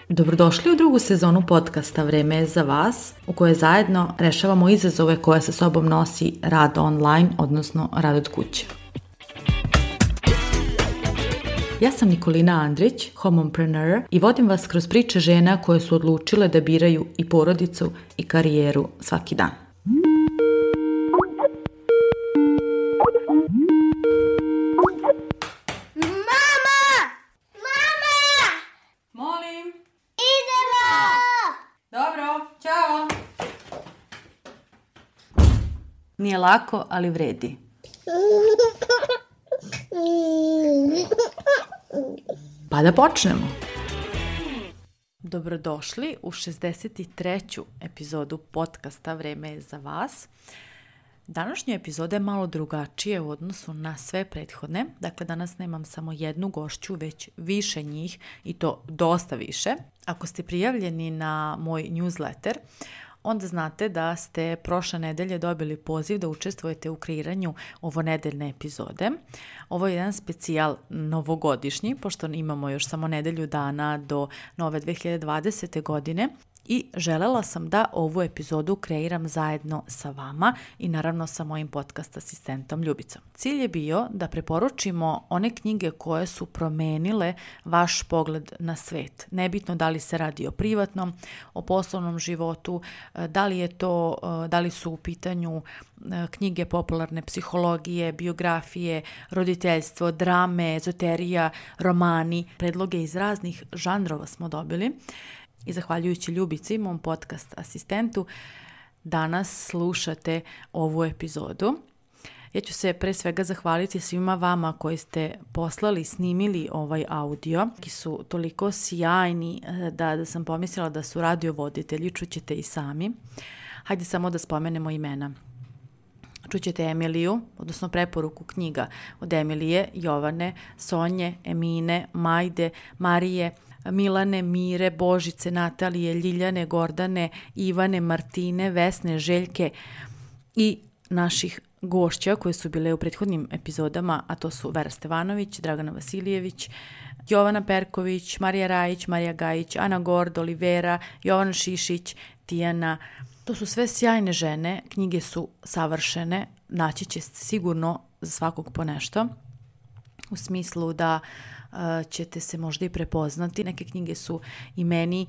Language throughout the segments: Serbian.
Dobrodošli u drugu sezonu podcasta Vreme je za vas, u kojoj zajedno rešavamo izazove koje sa sobom nosi rad online, odnosno rad od kuće. Ja sam Nikolina Andrić, homompreneur, i vodim vas kroz priče žena koje su odlučile da biraju i porodicu i karijeru svaki dan. Nije lako, ali vredi. Pa da počnemo. Dobrodošli u 63. epizodu podcasta Vreme je za vas. Današnja epizoda je malo drugačije u odnosu na sve prethodne. Dakle, danas nemam samo jednu gošću, već više njih i to dosta više. Ako ste prijavljeni na moj newsletter, onda znate da ste prošle nedelje dobili poziv da učestvujete u kreiranju ovonedeljne epizode. Ovo je jedan specijal novogodišnji, pošto imamo još samo nedelju dana do nove 2020. godine. I želela sam da ovu epizodu kreiram zajedno sa vama i naravno sa mojim podcast asistentom Ljubicom. Cilj je bio da preporučimo one knjige koje su promenile vaš pogled na svet. Nebitno da li se radi o privatnom, o poslovnom životu, da li su u pitanju knjige popularne psihologije, biografije, roditeljstvo, drame, ezoterija, romani. Predloge iz raznih žanrova smo dobili. I zahvaljujući Ljubici, mom podcast asistentu, danas slušate ovu epizodu. Ja ću se pre svega zahvaliti svima vama koji ste poslali, snimili ovaj audio. Ki su toliko sjajni da sam pomislila da su radiovoditelji, čućete i sami. Hajde samo da spomenemo imena. Čućete Emiliju, odnosno preporuku knjiga od Emilije, Jovane, Sonje, Emine, Majde, Marije, Milane, Mire, Božice, Natalije, Ljiljane, Gordane, Ivane, Martine, Vesne, Željke i naših gošća koje su bile u prethodnim epizodama, a to su Vera Stevanović, Dragana Vasilijević, Jovana Perković, Marija Rajić, Marija Gajić, Ana Gord, Olivera, Jovana Šišić, Tijana. To su sve sjajne žene, knjige su savršene, naći ćete sigurno za svakog po nešto, u smislu da ćete se možda i prepoznati. Neke knjige su i meni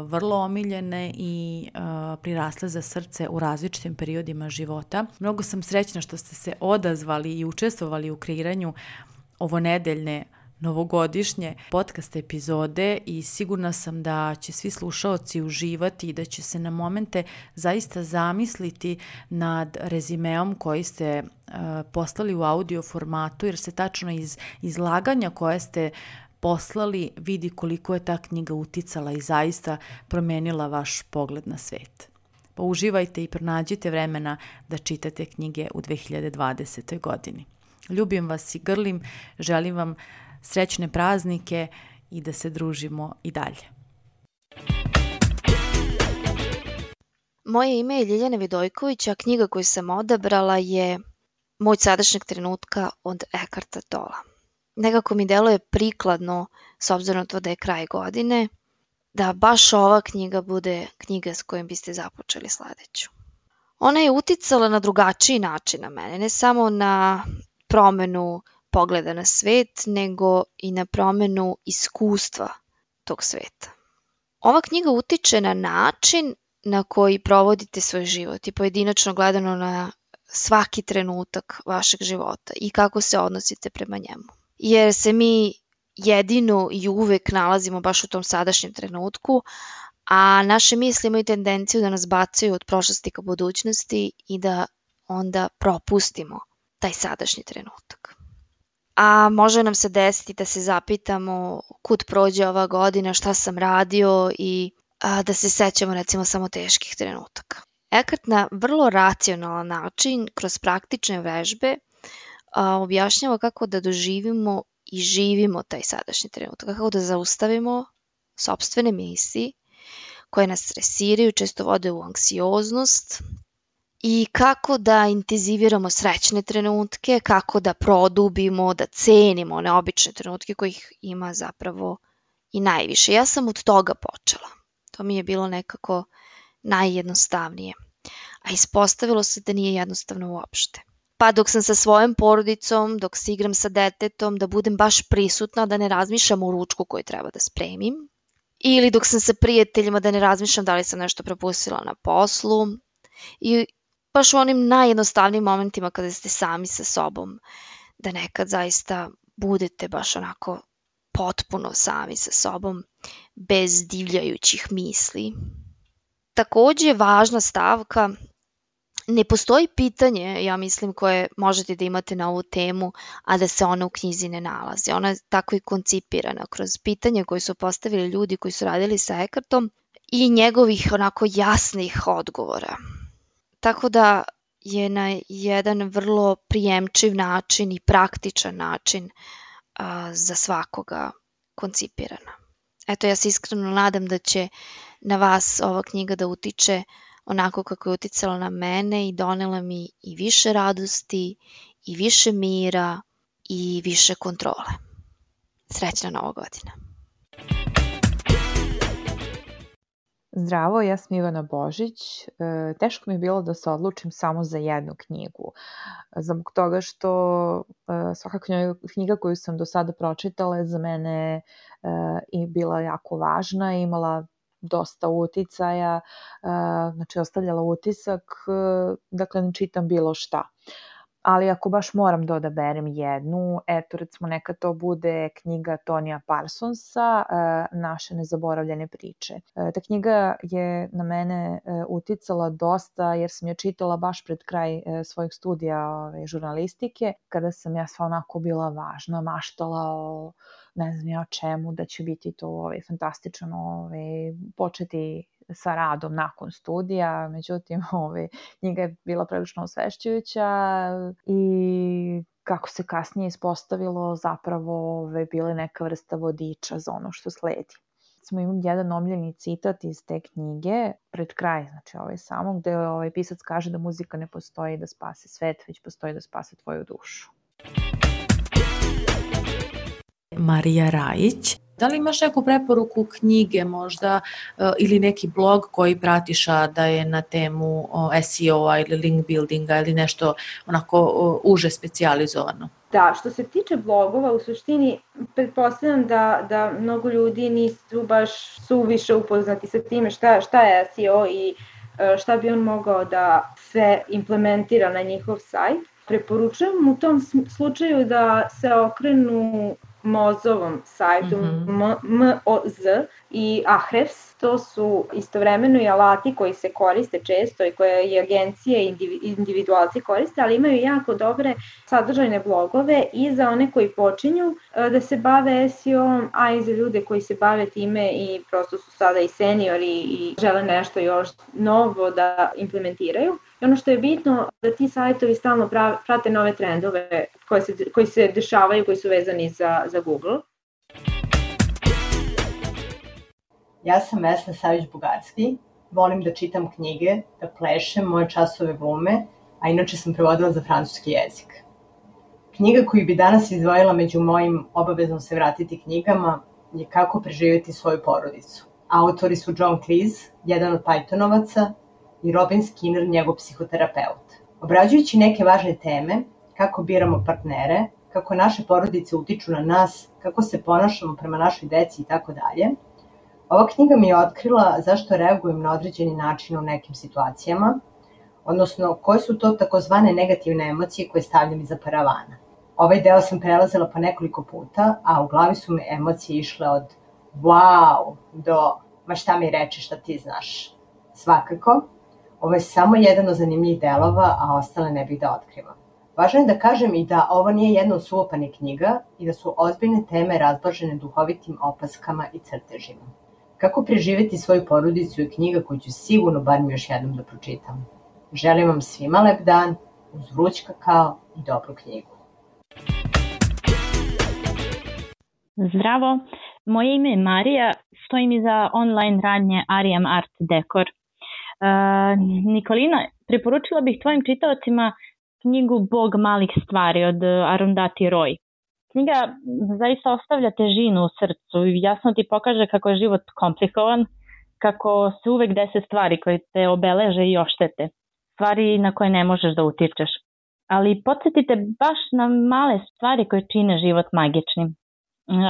vrlo omiljene i prirasle za srce u različitim periodima života. Mnogo sam srećna što ste se odazvali i učestvovali u kreiranju ovonedeljne novogodišnje podcast epizode i sigurna sam da će svi slušaoci uživati i da će se na momente zaista zamisliti nad rezimeom koji ste poslali u audio formatu, jer se tačno iz izlaganja koje ste poslali vidi koliko je ta knjiga uticala i zaista promenila vaš pogled na svet. Pa uživajte i pronađite vremena da čitate knjige u 2020. godini. Ljubim vas i grlim, želim vam srećne praznike i da se družimo i dalje. Moje ime je Ljiljana Vidojković, a knjiga koju sam odabrala je Moć sadašnjeg trenutka od Eckarta Tolla. Nekako mi deluje prikladno, s obzirom na to da je kraj godine, da baš ova knjiga bude knjiga s kojom biste započeli sledeću. Ona je uticala na drugačiji način na mene, ne samo na promenu pogleda na svet, nego i na promenu iskustva tog sveta. Ova knjiga utiče na način na koji provodite svoj život i pojedinačno gledano na svaki trenutak vašeg života i kako se odnosite prema njemu. Jer se mi jedino i uvek nalazimo baš u tom sadašnjem trenutku, a naše misli imaju tendenciju da nas bacaju od prošlosti ka budućnosti i da onda propustimo taj sadašnji trenutak. A može nam se desiti da se zapitamo kud prođe ova godina, šta sam radio i da se sećamo recimo samo teških trenutaka. Eckart na vrlo racionalan način, kroz praktične vežbe, objašnjava kako da doživimo i živimo taj sadašnji trenutak, kako da zaustavimo sopstvene misli koje nas stresiraju, često vode u anksioznost, i kako da intenziviramo srećne trenutke, kako da produbimo, da cenimo one obične trenutke kojih ima zapravo i najviše. Ja sam od toga počela. To mi je bilo nekako najjednostavnije. A ispostavilo se da nije jednostavno uopšte. Pa dok sam sa svojom porodicom, dok se igram sa detetom, da budem baš prisutna, da ne razmišljam o ručku koji treba da spremim. Ili dok sam sa prijateljima, da ne razmišljam da li sam nešto propustila na poslu. I baš u onim najjednostavnijim momentima kada ste sami sa sobom, da nekad zaista budete baš onako potpuno sami sa sobom, bez divljajućih misli. Takođe, važna stavka, ne postoji pitanje, ja mislim, koje možete da imate na ovu temu, a da se ona u knjizi ne nalazi. Ona je tako i koncipirana kroz pitanja koje su postavili ljudi koji su radili sa Eckhartom i njegovih onako jasnih odgovora. Tako da je na jedan vrlo prijemčiv način i praktičan način za svakoga koncipirana. Eto, ja se iskreno nadam da će na vas ova knjiga da utiče onako kako je uticala na mene i donela mi i više radosti, i više mira, i više kontrole. Srećna Nova godina! Zdravo, ja sam Ivana Božić. Teško mi je bilo da se odlučim samo za jednu knjigu. Zbog toga što svaka knjiga koju sam do sada pročitala je za mene i bila jako važna i imala dosta uticaja, znači ostavljala utisak, dakle ne čitam bilo šta. Ali ako baš moram da odaberem jednu, eto recimo neka to bude knjiga Tonija Parsonsa, Naše nezaboravljene priče. Ta knjiga je na mene uticala dosta jer sam je čitala baš pred kraj svojih studija žurnalistike, kada sam ja sva onako bila važna, maštala o ne znam ja o čemu, da će biti to fantastično početi sa radom nakon studija, međutim knjiga je bila prilično osvešćujuća i kako se kasnije ispostavilo zapravo bila neka vrsta vodiča za ono što sledi. Imam jedan omiljeni citat iz te knjige, pred kraj, znači samo, gde pisac kaže da muzika ne postoji da spase svet, već postoji da spase tvoju dušu. Marija Rajić. Da li imaš neku preporuku knjige možda ili neki blog koji pratiš da je na temu SEO-a ili link buildinga ili nešto onako uže specijalizovano? Da, što se tiče blogova, u suštini pretpostavljam da mnogo ljudi nisu baš suviše upoznati sa time šta je SEO i šta bi on mogao da sve implementira na njihov sajt. Preporučujem u tom slučaju da se okrenu Mozovom sajtu, MOZ i Ahrefs. To su istovremeno i alati koji se koriste često i koje i agencije i individualci koriste, ali imaju jako dobre sadržajne blogove i za one koji počinju da se bave SEO-om, a i za ljude koji se bave time i prosto su sada i seniori i žele nešto još novo da implementiraju. I ono što je bitno da ti sajtovi stalno prate nove trendove koji se dešavaju, koji su vezani za Google. Ja sam Vesna Savić-Bugarski, volim da čitam knjige, da plešem moje časove glume, a inače sam prevodila za francuski jezik. Knjiga koju bi danas izdvojila među mojim obavezno se vratiti knjigama je Kako preživjeti svoju porodicu. Autori su John Cleese, jedan od Pythonovaca, i Robin Skinner, njegov psihoterapeut. Obrađujući neke važne teme, kako biramo partnere, kako naše porodice utiču na nas, kako se ponašamo prema našoj deci i tako dalje, ova knjiga mi je otkrila zašto reagujem na određeni način u nekim situacijama, odnosno koje su to takozvane negativne emocije koje stavljam iza paravana. Ovaj deo sam prelazila po nekoliko puta, a u glavi su mi emocije išle od wow do ma šta mi reče šta ti znaš. Svakako, ovo je samo jedan od zanimljivih delova, a ostale ne bih da otkrivam. Važno je da kažem i da ovo nije jedna od suvoparnih knjiga i da su ozbiljne teme razblažene duhovitim opaskama i crtežima. Kako preživjeti svoju porodicu je knjiga koju ću sigurno barem još jednom da pročitam. Želim vam svima lep dan, uz vruć kakao i dobru knjigu. Zdravo, moje ime je Marija, stojim iza online radnje Ariam Art Dekor. Nikolina, preporučila bih tvojim čitaocima knjigu Bog malih stvari od Arundhati Roy. Knjiga zaista ostavlja težinu u srcu i jasno ti pokaže kako je život komplikovan, kako se uvek dese stvari koje te obeleže i oštete, stvari na koje ne možeš da utičeš. Ali podsjetite baš na male stvari koje čine život magičnim.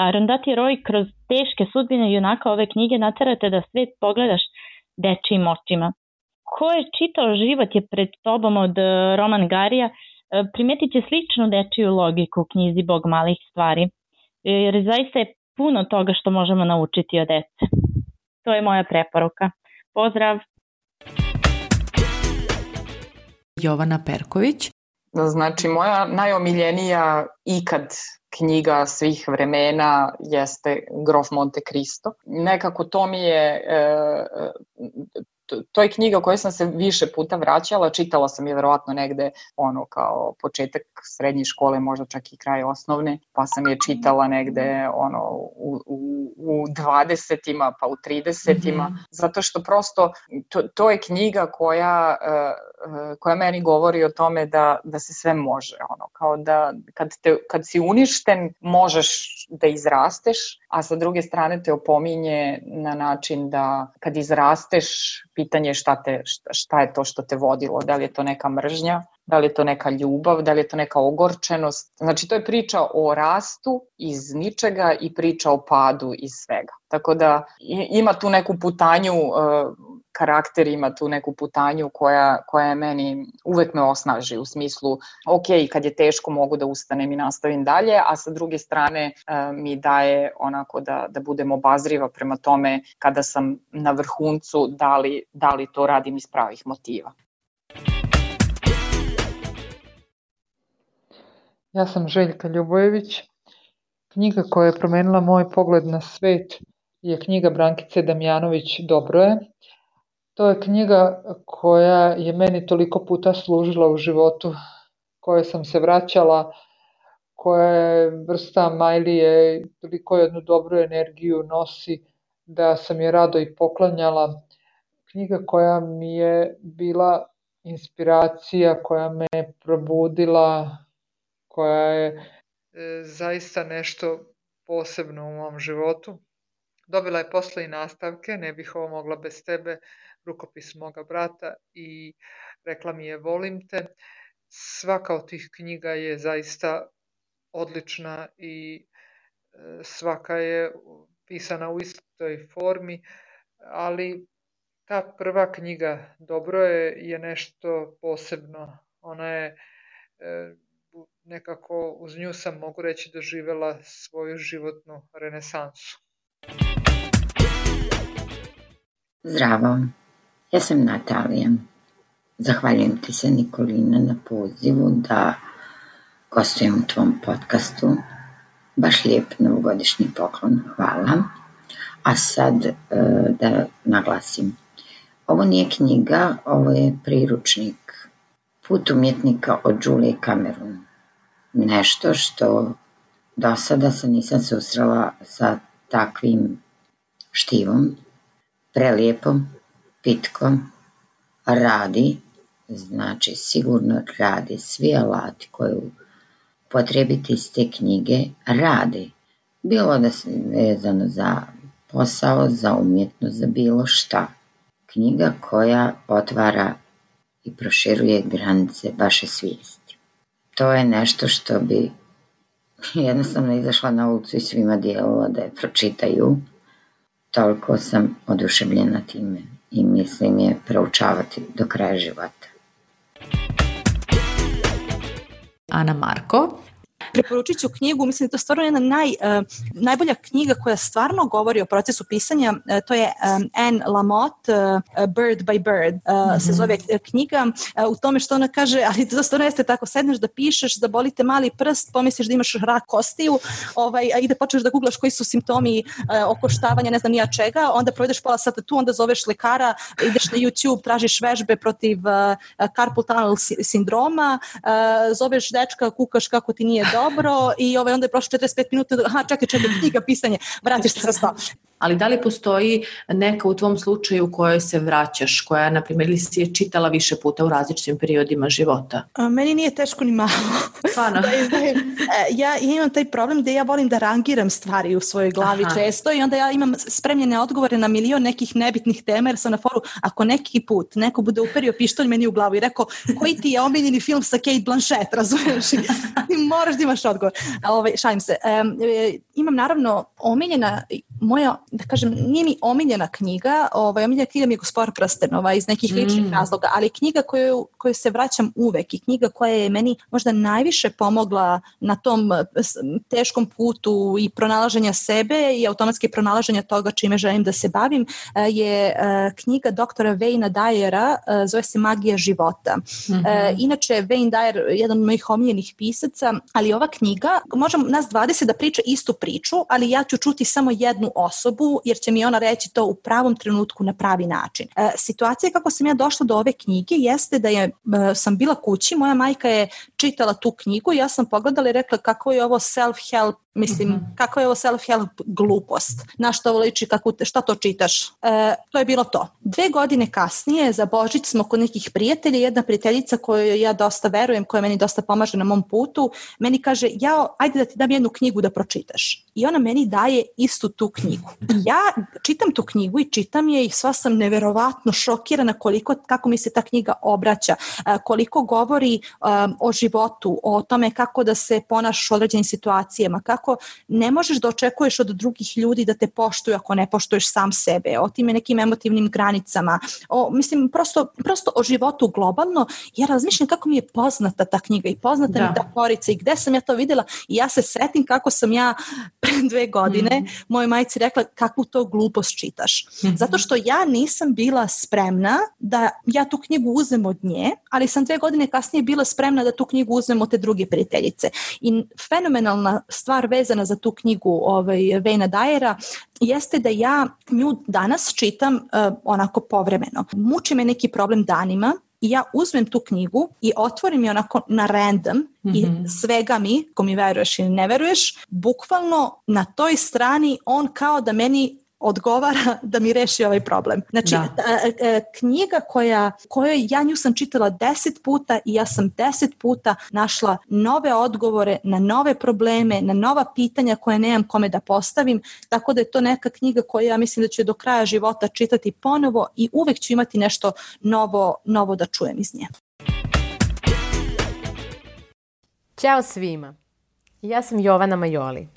Arundhati Roy kroz teške sudbine junaka ove knjige naterate da svet pogledaš dečijim očima. Ko je čitao Život je pred tobom od Roman Garija, primetit će sličnu dečiju logiku u knjizi Bog malih stvari, jer zaista je puno toga što možemo naučiti od dece. To je moja preporuka. Pozdrav! Jovana Perković. Znači, moja najomiljenija ikad knjiga svih vremena jeste Grof Monte Cristo. Nekako to mi je... To je knjiga o kojoj sam se više puta vraćala, čitala sam je verovatno negde kao početak srednje škole, možda čak i kraj osnovne, pa sam je čitala negde u 20-ima pa u 30-ima, zato što prosto to je knjiga koja meni govori o tome da se sve može, kao da kad si uništen možeš da izrasteš, a sa druge strane te opominje na način da kad izrasteš pitanje šta je to što te vodilo, da li je to neka mržnja, da li je to neka ljubav, da li je to neka ogorčenost. Znači to je priča o rastu iz ničega i priča o padu iz svega. Tako da ima tu neku putanju, karakter ima tu neku putanju koja je meni, uvek me osnaži u smislu, ok, kad je teško mogu da ustanem i nastavim dalje, a sa druge strane mi daje onako da budem obazriva prema tome kada sam na vrhuncu, da li to radim iz pravih motiva. Ja sam Željka Ljubojević. Knjiga koja je promenila moj pogled na svet je knjiga Brankice Damjanović Dobro je. To je knjiga koja je meni toliko puta služila u životu, koje sam se vraćala, koja je vrsta majlije, toliko jednu dobru energiju nosi da sam je rado i poklanjala. Knjiga koja mi je bila inspiracija, koja me probudila, koja je zaista nešto posebno u mom životu. Dobila je posle i nastavke, Ne bih ovo mogla bez tebe, rukopis moga brata i Rekla mi je volim te. Svaka od tih knjiga je zaista odlična i svaka je pisana u istoj formi, ali ta prva knjiga Dobro je nešto posebno. Ona je nekako, uz nju sam, mogu reći, doživela svoju životnu renesansu. Zdravo, ja sam Natalija. Zahvaljujem ti se, Nikolina, na pozivu da gostujem u tvom podcastu. Baš lijep novogodišnji poklon, hvala. A sad da naglasim. Ovo nije knjiga, ovo je priručnik Put umjetnika od Julie Cameron. Nešto što do sada se nisam susrela sa takvim štivom, prelijepom, pitkom, radi, znači sigurno radi, svi alati koje potrebiti iz te knjige radi. Bilo da se vezano za posao, za umjetnost, za bilo šta. Knjiga koja otvara i proširuje granice vaše svijesti. To je nešto što bi jednostavno izašla na ulicu i svima dijelila da je pročitaju. Toliko sam oduševljena time i mislim je proučavati do kraja života. Ana Marko. Preporučit ću knjigu, mislim da je to stvarno jedna najbolja knjiga koja stvarno govori o procesu pisanja, to je Anne Lamott, Bird by Bird se zove knjiga, u tome što ona kaže, ali to stvarno jeste tako, sedneš da pišeš, zabolite mali prst, pomisliš da imaš rak kostiju, i da počneš da googlaš koji su simptomi okoštavanja, ne znam nija čega, onda provedeš pola sata tu, onda zoveš lekara, ideš na YouTube, tražiš vežbe protiv carpal tunnel sindroma, zoveš dečka, kukaš kako ti nije dobro i onda je prošlo 45 minuta, čekaj, knjiga, pisanje, vratiš se sa sto. ali da li postoji neka u tvom slučaju u kojoj se vraćaš, koja, na primjer, ili si je čitala više puta u različitim periodima života? Meni nije teško ni malo. Stvarno? Ja imam taj problem da ja volim da rangiram stvari u svojoj glavi često i onda ja imam spremljene odgovore na milion nekih nebitnih tema jer sam na foru, ako neki put neko bude uperio pištolj meni u glavu i rekao koji ti je omiljeni film sa Kate Blanchett, razumiješ? Ti moraš da imaš odgovor. Šalim se. Imam naravno omiljena moja, da kažem, nije mi omiljena knjiga, omiljena knjiga mi je Gospodar prstenova iz nekih ličnih razloga, ali knjiga koju se vraćam uvek i knjiga koja je meni možda najviše pomogla na tom teškom putu i pronalaženja sebe i automatski pronalaženja toga čime želim da se bavim je knjiga doktora Wayna Dyera, zove se Magija života. Inače, Wayne Dyer je jedan od mojih omiljenih pisaca, ali ova knjiga, možemo nas 20 da priča istu priču, ali ja ću čuti samo jednu osobu, jer će mi ona reći to u pravom trenutku na pravi način. Situacija kako sam ja došla do ove knjige jeste da sam bila kući, moja majka je čitala tu knjigu i ja sam pogledala i rekla kako je ovo self-help, kako je ovo self-help glupost, na što ovo liči, šta to čitaš. To je bilo to. 2 godine kasnije za Božić smo kod nekih prijatelja, jedna prijateljica koju ja dosta verujem, koja meni dosta pomaže na mom putu, meni kaže, ajde da ti dam jednu knjigu da pročitaš. I ona meni daje istu tu knjigu. Ja čitam tu knjigu i čitam je i sva sam neverovatno šokirana kako mi se ta knjiga obraća, koliko govori o životu, o tome kako da se ponašaš u određenim situacijama, kako ne možeš da očekuješ od drugih ljudi da te poštuju ako ne poštuješ sam sebe, o tim nekim emotivnim granicama, prosto o životu globalno. Ja razmišljam kako mi je poznata ta knjiga i poznata mi ta porica i gde sam ja to videla i ja se setim kako sam ja pre 2 godine mojoj majci rekla kakvu to glupost čitaš. Zato što ja nisam bila spremna da ja tu knjigu uzmem od nje, ali sam 2 godine kasnije bila spremna da tu knjigu uzmem od te druge prijateljice. I fenomenalna stvar vezana za tu knjigu Wayna Dyera jeste da ja nju danas čitam onako povremeno. Muči me neki problem danima i ja uzmem tu knjigu i otvorim je onako na random i svega mi, ko mi veruješ ili ne veruješ, bukvalno na toj strani on kao da meni odgovara da mi reši ovaj problem. Znači, knjiga kojoj ja nju sam čitala 10 puta i ja sam 10 puta našla nove odgovore na nove probleme, na nova pitanja koje nemam kome da postavim, tako da je to neka knjiga koju ja mislim da ću do kraja života čitati ponovo i uvek ću imati nešto novo da čujem iz nje. Ćao svima, ja sam Jovana Majoli.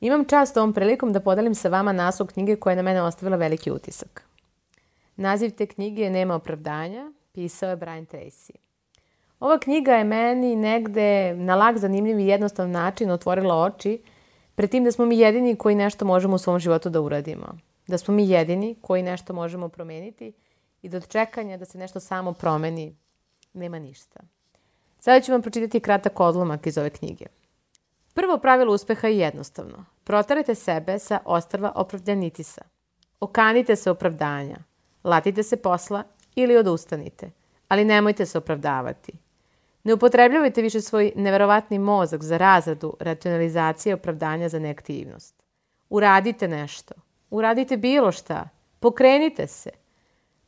Imam čast ovom prilikom da podelim sa vama naslov knjige koja je na mene ostavila veliki utisak. Naziv te knjige je Nema opravdanja, pisao je Brian Tracy. Ova knjiga je meni negde na lak, zanimljiv i jednostavan način otvorila oči pred tim da smo mi jedini koji nešto možemo u svom životu da uradimo. Da smo mi jedini koji nešto možemo promeniti i da od čekanja da se nešto samo promeni nema ništa. Sada ću vam pročitati kratak odlomak iz ove knjige. Prvo pravilo uspeha je jednostavno. Proterajte sebe sa ostrva opravdanitisa. Okanite se opravdanja. Latite se posla ili odustanite. Ali nemojte se opravdavati. Ne upotrebljavajte više svoj neverovatni mozak za razradu, racionalizacije i opravdanja za neaktivnost. Uradite nešto. Uradite bilo šta. Pokrenite se.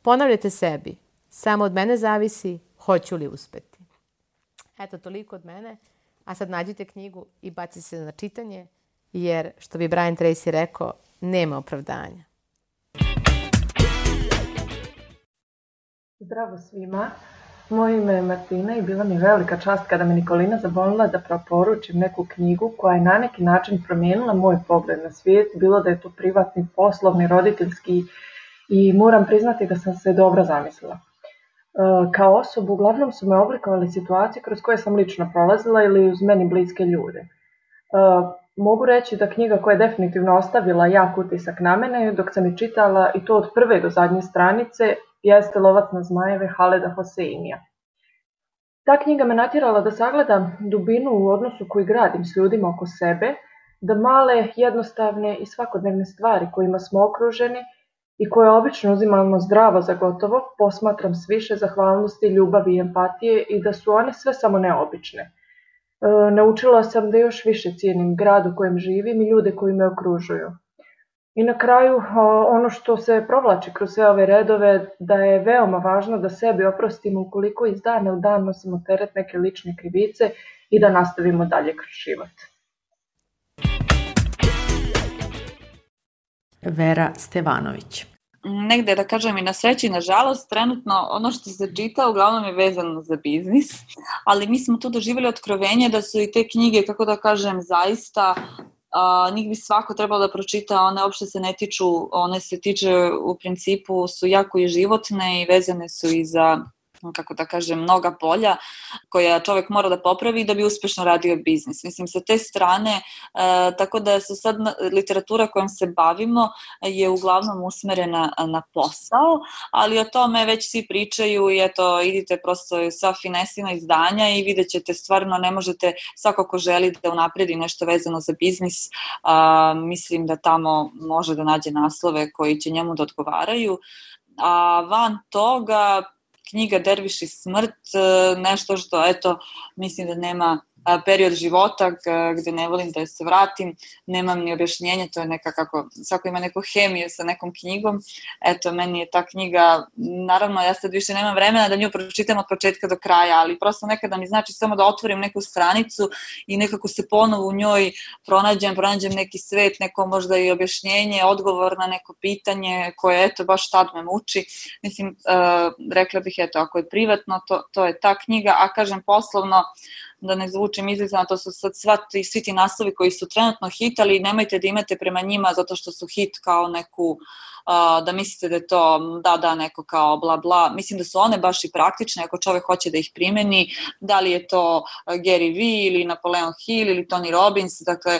Ponavljajte sebi. Samo od mene zavisi hoću li uspeti. Eto, toliko od mene. A sad nađite knjigu i bacite se na čitanje, jer, što bi Brian Tracy rekao, nema opravdanja. Zdravo svima, moje ime je Martina i bila mi velika čast kada me Nikolina zamolila da preporučim neku knjigu koja je na neki način promijenila moj pogled na svijet, bilo da je to privatni, poslovni, roditeljski i moram priznati da sam se dobro zamislila. Kao osobu uglavnom su me oblikovali situacije kroz koje sam lično prolazila ili uz meni bliske ljude. Mogu reći da knjiga koja je definitivno ostavila jak utisak na mene dok sam je čitala i to od prve do zadnje stranice jeste Lovac na zmajeve Haleda Hoseinija. Ta knjiga me natjerala da sagledam dubinu u odnosu koji gradim s ljudima oko sebe, da male, jednostavne i svakodnevne stvari kojima smo okruženi i koje obično uzimamo zdravo za gotovo, posmatram s više zahvalnosti, ljubavi i empatije i da su one sve samo neobične. Naučila sam da još više cijenim grad u kojem živim i ljude koji me okružuju. I na kraju, ono što se provlači kroz sve ove redove, da je veoma važno da sebi oprostimo ukoliko iz dana u dan nosimo teret neke lične krivice i da nastavimo dalje kroz život. Vera Stevanović. Negde, da kažem, i na sreću i na žalost, trenutno ono što se čita uglavnom je vezano za biznis, ali mi smo tu doživjeli otkrovenje da su i te knjige, kako da kažem, zaista njih bi svako trebalo da pročita, one uopšte se ne tiču, one se tiče u principu, su jako i životne i vezane su i za, kako da kažem, mnoga polja koja čovek mora da popravi da bi uspešno radio biznis. Mislim, sa te strane, tako da su sad literatura kojom se bavimo je uglavnom usmerena na posao, ali o tome već svi pričaju i eto, idite prosto sa finesima izdanja i vidjet ćete, stvarno ne možete, svako ko želi da unapredi nešto vezano za biznis, mislim da tamo može da nađe naslove koji će njemu da odgovaraju. A van toga, knjiga Derviš i smrt, nešto što, eto, mislim da nema period života gde ne volim da se vratim, nemam ni objašnjenje, to je neka kako, svako ima neku hemiju sa nekom knjigom, eto, meni je ta knjiga, naravno, ja sad više nemam vremena da nju pročitam od početka do kraja, ali prosto nekada mi znači samo da otvorim neku stranicu i nekako se ponovo u njoj pronađem neki svet, neko možda i objašnjenje, odgovor na neko pitanje koje, eto, baš tad me muči. Mislim, rekla bih, eto, ako je privatno, to je ta knjiga, a kažem poslovno, da ne zvučim izlizano, to su sad svi ti naslovi koji su trenutno hit, ali nemojte da imate prema njima zato što su hit kao neku, da mislite da je to neko kao bla bla. Mislim da su one baš i praktične ako čovek hoće da ih primeni, da li je to Gary Vee ili Napoleon Hill ili Tony Robbins, dakle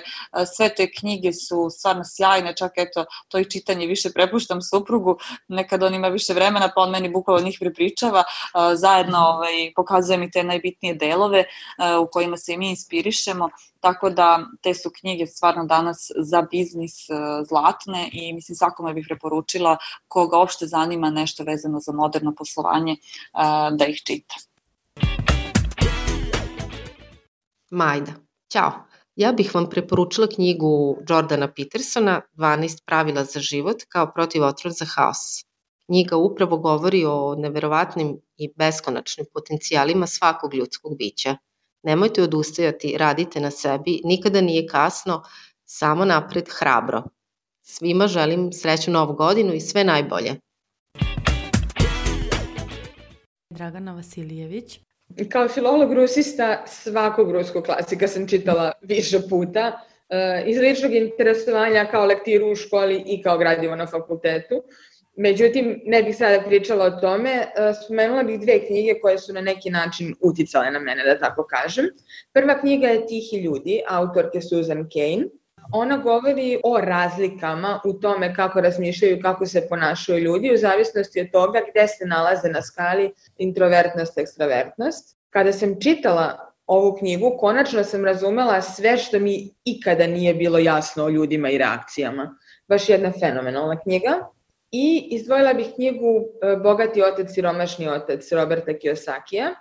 sve te knjige su stvarno sjajne, čak eto to i čitanje više prepuštam suprugu, nekad on ima više vremena pa on meni bukvalno njih prepričava, zajedno pokazuje mi te najbitnije delove u kojima se i mi inspirišemo, tako da te su knjige stvarno danas za biznis zlatne i mislim svakome bih preporučila koga uopšte zanima nešto vezano za moderno poslovanje da ih čita. Majda, ćao. Ja bih vam preporučila knjigu Jordana Petersona 12 pravila za život kao protivotrov za haos. Knjiga upravo govori o neverovatnim i beskonačnim potencijalima svakog ljudskog bića. Nemojte odustajati, radite na sebi, nikada nije kasno, samo napred hrabro. Svima želim srećnu novu godinu i sve najbolje. Dragana Vasilijević. Kao filolog rusista svakog ruskog klasika sam čitala više puta, iz ličnog interesovanja kao lektiru u školi i kao gradivo na fakultetu. Međutim, ne bih sada pričala o tome, spomenula bih dve knjige koje su na neki način uticale na mene, da tako kažem. Prva knjiga je Tihi ljudi, autorke Susan Cain. Ona govori o razlikama u tome kako razmišljaju, kako se ponašaju ljudi u zavisnosti od toga gde se nalaze na skali introvertnost, ekstravertnost. Kada sam čitala ovu knjigu, konačno sam razumela sve što mi ikada nije bilo jasno o ljudima i reakcijama. Baš jedna fenomenalna knjiga. I izdvojila bih knjigu Bogati otac, siromašni otac Roberta Kiyosakija.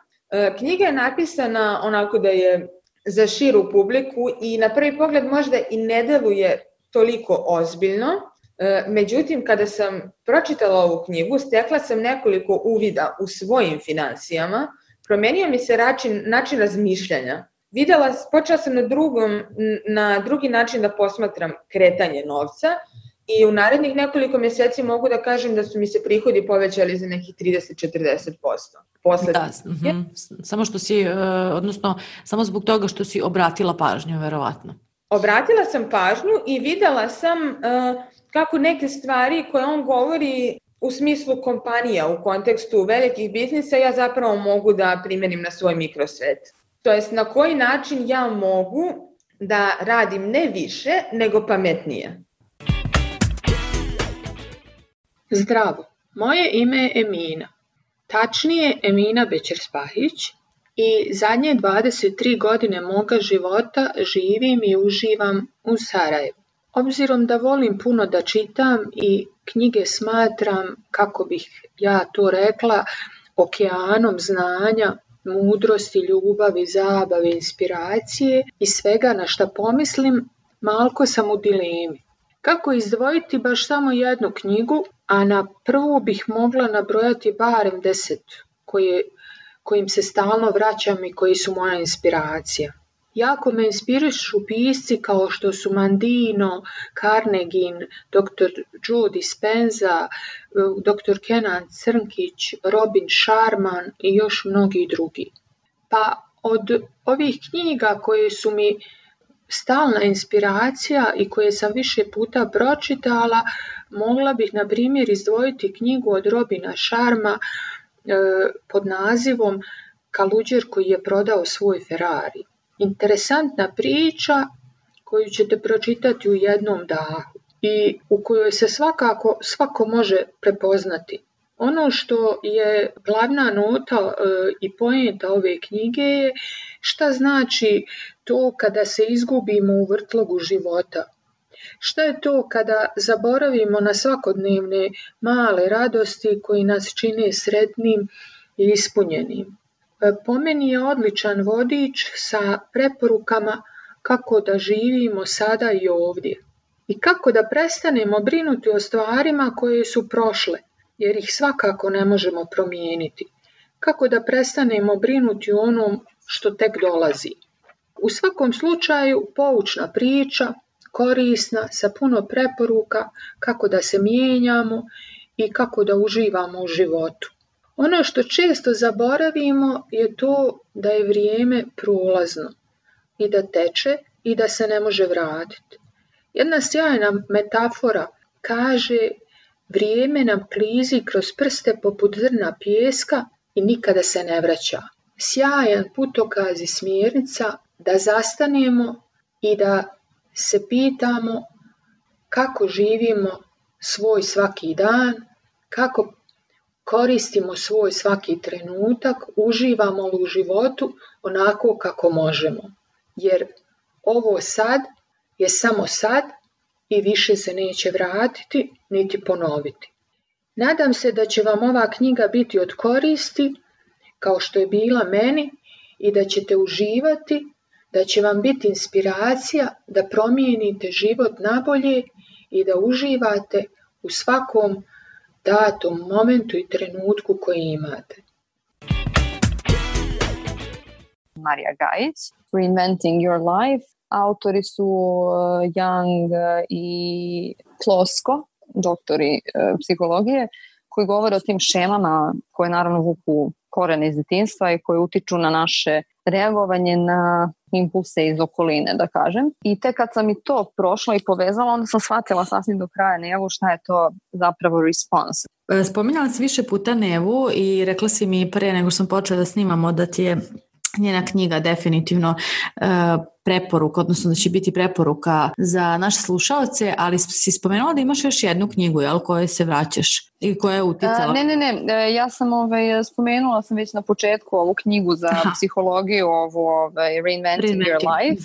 Knjiga je napisana onako da je za širu publiku i na prvi pogled možda i ne deluje toliko ozbiljno. Međutim, kada sam pročitala ovu knjigu, stekla sam nekoliko uvida u svojim finansijama, promenio mi se način razmišljanja. Počela sam na drugi način da posmatram kretanje novca i u narednih nekoliko mjeseci mogu da kažem da su mi se prihodi povećali za nekih 30-40%. Da, samo što si, odnosno samo zbog toga što si obratila pažnju, verovatno. Obratila sam pažnju i videla sam kako neke stvari koje on govori u smislu kompanija, u kontekstu velikih biznisa, ja zapravo mogu da primenim na svoj mikrosvet. To jest na koji način ja mogu da radim ne više, nego pametnije. Zdravo, moje ime je Emina, tačnije Emina Bećer-Spahić i zadnje 23 godine moga života živim i uživam u Sarajevu. Obzirom da volim puno da čitam i knjige smatram, kako bih ja to rekla, okeanom znanja, mudrosti, ljubavi, zabave, inspiracije i svega na šta pomislim, malko sam u dilemi. Kako izdvojiti baš samo jednu knjigu, a na prvu bih mogla nabrojati barem 10 kojim se stalno vraćam i koji su moja inspiracija. Jako me inspirišu pisci kao što su Mandino, Carnegin, dr. Joe Dispenza, dr. Kenan Crnkić, Robin Sharman i još mnogi drugi. Pa od ovih knjiga koje su mi stalna inspiracija i koje sam više puta pročitala, mogla bih na primjer izdvojiti knjigu od Robina Sharma pod nazivom Kaluđer koji je prodao svoj Ferrari. Interesantna priča koju ćete pročitati u jednom dahu i u kojoj se svako može prepoznati. Ono što je glavna nota i poenta ove knjige je šta znači to kada se izgubimo u vrtlogu života. Šta je to kada zaboravimo na svakodnevne male radosti koji nas čine sretnim i ispunjenim. Po meni je odličan vodič sa preporukama kako da živimo sada i ovdje i kako da prestanemo brinuti o stvarima koje su prošle, jer ih svakako ne možemo promijeniti. Kako da prestanemo brinuti o onom što tek dolazi. U svakom slučaju poučna priča, korisna, sa puno preporuka kako da se mijenjamo i kako da uživamo u životu. Ono što često zaboravimo je to da je vrijeme prolazno i da teče i da se ne može vratiti. Jedna sjajna metafora kaže: vrijeme nam klizi kroz prste poput zrna pijeska i nikada se ne vraća. Sjajan putokaz i smjernica da zastanemo i da se pitamo kako živimo svoj svaki dan, kako koristimo svoj svaki trenutak, uživamo li u životu onako kako možemo. Jer ovo sad je samo sad i više se neće vratiti niti ponoviti. Nadam se da će vam ova knjiga biti od koristi, kao što je bila meni, i da ćete uživati, da će vam biti inspiracija da promijenite život nabolje i da uživate u svakom datom momentu i trenutku koji imate. Marija Gajić, Reinventing Your Life. Autori su Young i Plosko, doktori psihologije, koji govore o tim šemama koje naravno vuku korene iz djetinjstva i koje utiču na naše reagovanje na impulse iz okoline, da kažem. I tek kad sam i to prošla i povezala, onda sam shvatila sasvim do kraja Nevu šta je to zapravo response. Spominjala si više puta Nevu i rekla si mi pre nego što sam počela da snimamo da ti je njena knjiga definitivno preporuka, odnosno da će biti preporuka za naše slušaoce, ali si spomenula da imaš još jednu knjigu, jel, kojoj se vraćaš i koja je uticala? Ne, ja sam spomenula sam već na početku ovu knjigu za psihologiju, ovu Reinventing Your Life,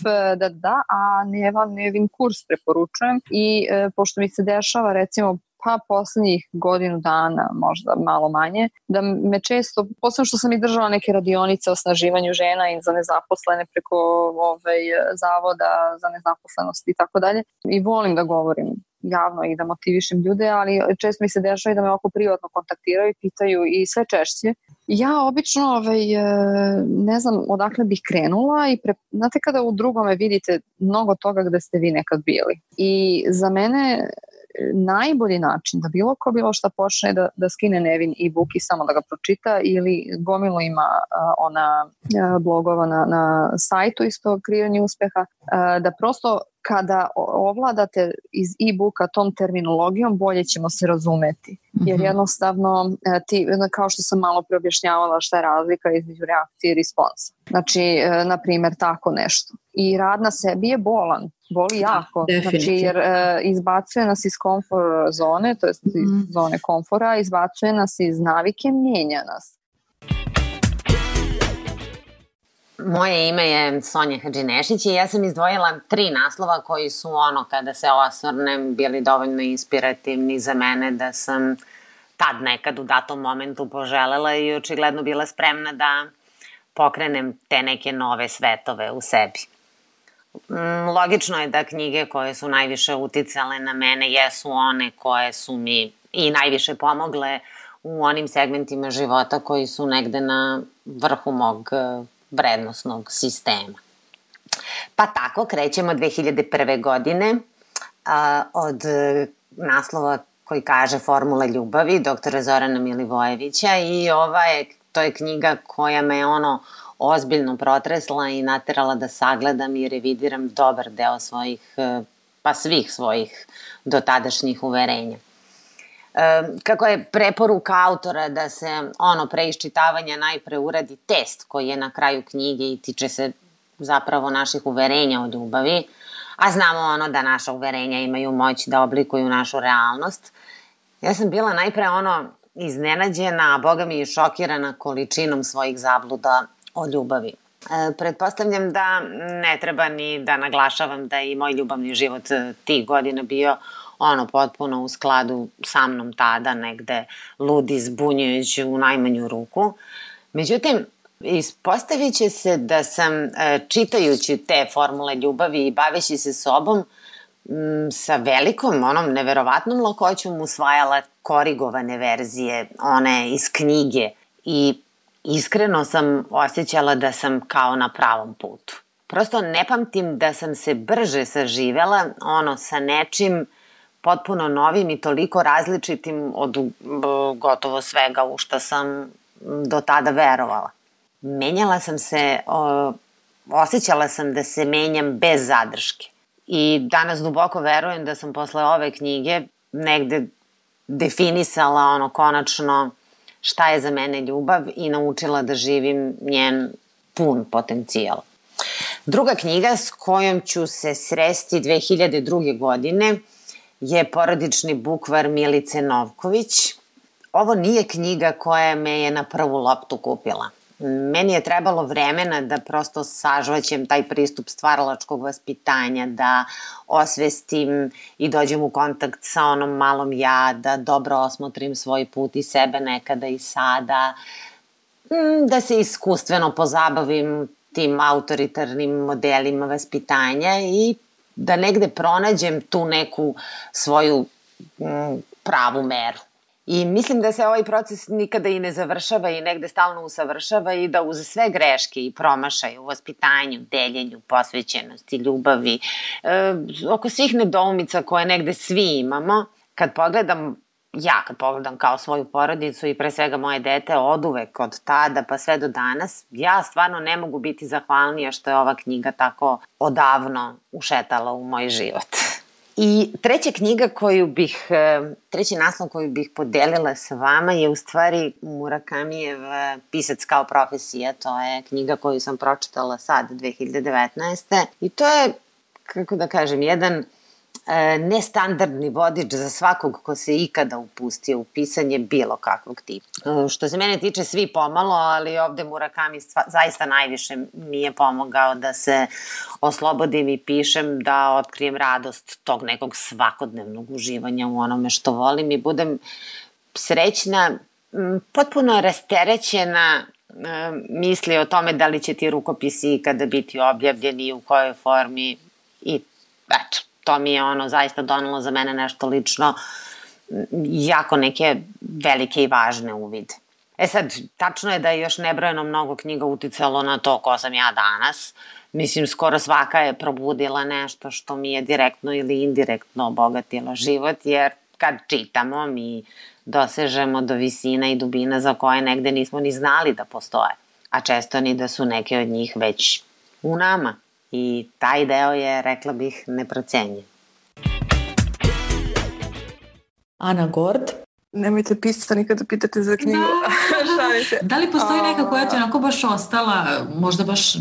a Nevin kurs preporučujem i pošto mi se dešava recimo poslednjih godinu dana, možda malo manje, da me često, posebno što sam i držala neke radionice o osnaživanju žena i za nezaposlene preko zavoda za nezaposlenost i tako dalje. I volim da govorim javno i da motivišem ljude, ali često mi se dešava i da me oko privatno kontaktiraju i pitaju i sve češće. Ja obično ne znam odakle bih krenula i znate kada u drugome vidite mnogo toga gde ste vi nekad bili. I za mene najbolji način da bilo šta počne da skine Nevin e-book i samo da ga pročita, ili gomilu ima ona blogova na sajtu isto kreiranje uspeha, da prosto kada ovladate iz e-booka tom terminologijom bolje ćemo se razumeti. Jer jednostavno, kao što sam malo preobjašnjavala šta je razlika između reakcije i responsa. Znači, na primjer, tako nešto. I rad na sebi je bolan. Boli jako. Znači, jer izbacuje nas iz komfort zone, to je iz zone komfora, izbacuje nas iz navike, mijenja nas. Moje ime je Sonja Hadžinešić i ja sam izdvojila 3 naslova koji su kada se osvrnem bili dovoljno inspirativni za mene da sam tad nekad u datom momentu poželela i očigledno bila spremna da pokrenem te neke nove svetove u sebi. Logično je da knjige koje su najviše uticale na mene jesu one koje su mi i najviše pomogle u onim segmentima života koji su negde na vrhu mog vrednosnog sistema. Pa tako krećemo 2001. godine od naslova koji kaže Formula ljubavi, doktora Zorana Milivojevića, i to je knjiga koja me ozbiljno protresla i naterala da sagledam i revidiram dobar deo svih svojih dotadašnjih uverenja. Kako je preporuka autora da se pre iščitavanja najpre uradi test koji je na kraju knjige i tiče se zapravo naših uverenja o ljubavi, a znamo da naša uverenja imaju moć da oblikuju našu realnost. Ja sam bila najpre iznenađena, a boga mi i šokirana količinom svojih zabluda o ljubavi. Pretpostavljam da ne treba ni da naglašavam da je i moj ljubavni život tih godina bio potpuno u skladu sa mnom tada, negde ludi, zbunjujući u najmanju ruku. Međutim, ispostavit će se da sam čitajući te formule ljubavi i baveći se sobom sa velikom, neverovatnom lakoćom usvajala korigovane verzije, one iz knjige, i iskreno sam osjećala da sam kao na pravom putu. Prosto ne pamtim da sam se brže saživela sa nečim potpuno novim i toliko različitim od gotovo svega u što sam do tada verovala. Menjala sam se, osjećala sam da se menjam bez zadrške. I danas duboko verujem da sam posle ove knjige negde definisala konačno šta je za mene ljubav i naučila da živim njen pun potencijal. Druga knjiga s kojom ću se sresti 2002. godine je Porodični bukvar Milice Novković. Ovo nije knjiga koja me je na prvu loptu kupila. Meni je trebalo vremena da prosto sažvaćem taj pristup stvaralačkog vaspitanja, da osvestim i dođem u kontakt sa onom malom ja, da dobro osmotrim svoj put i sebe nekada i sada, da se iskustveno pozabavim tim autoritarnim modelima vaspitanja i da negde pronađem tu neku svoju pravu meru. I mislim da se ovaj proces nikada i ne završava i negde stalno usavršava i da uz sve greške i promašaje u vaspitanju, deljenju, posvećenosti, ljubavi, oko svih nedoumica koje negde svi imamo, kad pogledam kao svoju porodicu i pre svega moje dete oduvek od tada pa sve do danas, ja stvarno ne mogu biti zahvalnija što je ova knjiga tako odavno ušetala u moj život. I treći naslov koju bih podelila sa vama je u stvari Murakamijev Pisac kao profesija. To je knjiga koju sam pročitala sad, 2019. I to je, kako da kažem, jedan nestandardni vodič za svakog ko se ikada upustio u pisanje bilo kakvog tipa. Što se mene tiče, svi pomalo, ali ovde Murakami zaista najviše mi je pomogao da se oslobodim i pišem, da otkrijem radost tog nekog svakodnevnog uživanja u onome što volim i budem srećna, potpuno rasterećena misli o tome da li će ti rukopisi ikada biti objavljeni i u kojoj formi i eto. To mi je zaista donelo za mene nešto lično, jako neke velike i važne uvide. Sad, tačno je da je još nebrojeno mnogo knjiga uticalo na to ko sam ja danas. Mislim, skoro svaka je probudila nešto što mi je direktno ili indirektno obogatilo život, jer kad čitamo mi dosežemo do visina i dubina za koje negde nismo ni znali da postoje, a često ni da su neke od njih već u nama. I taj deo je, rekla bih, neprocenjiv. Ana Gord? Nemojte pisati, nikada pitate za knjigu. Da li postoji neka koja ti onako baš ostala, možda baš...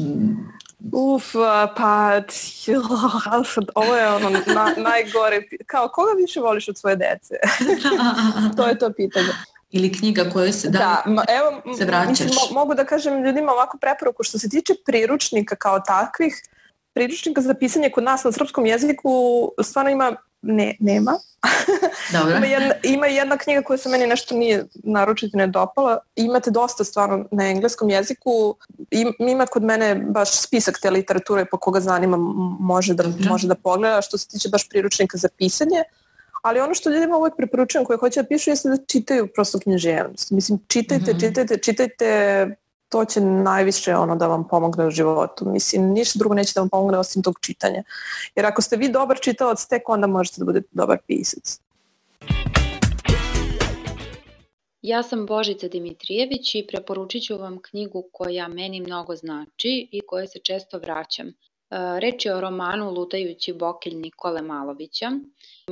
Ovo je najgore. Kao, koga više voliš od svoje dece? To je to pitanje. Ili knjiga koju se se vraćaš. Mislim, mogu da kažem ljudima ovako preporuku što se tiče priručnika kao takvih, priručnika za pisanje kod nas na srpskom jeziku stvarno ima nema. Dobro. Ima jedna knjiga koja se meni nešto nije naročito ne dopala. Imate dosta stvarno na engleskom jeziku. Ima kod mene baš spisak te literature po koga zanima može da pogleda što se tiče baš priručnika za pisanje. Ali ono što ljudima uvijek preporučujem koje hoće da pišu jeste da čitaju prosto književnost. Mislim, čitajte, to će najviše da vam pomogne u životu. Mislim, ništa drugo neće da vam pomogne osim tog čitanja. Jer ako ste vi dobar čitalac, tek onda možete da budete dobar pisac. Ja sam Božica Dimitrijević i preporučit ću vam knjigu koja meni mnogo znači i kojoj se često vraćam. Reč je o romanu Lutajući bokelj Nikole Malovića.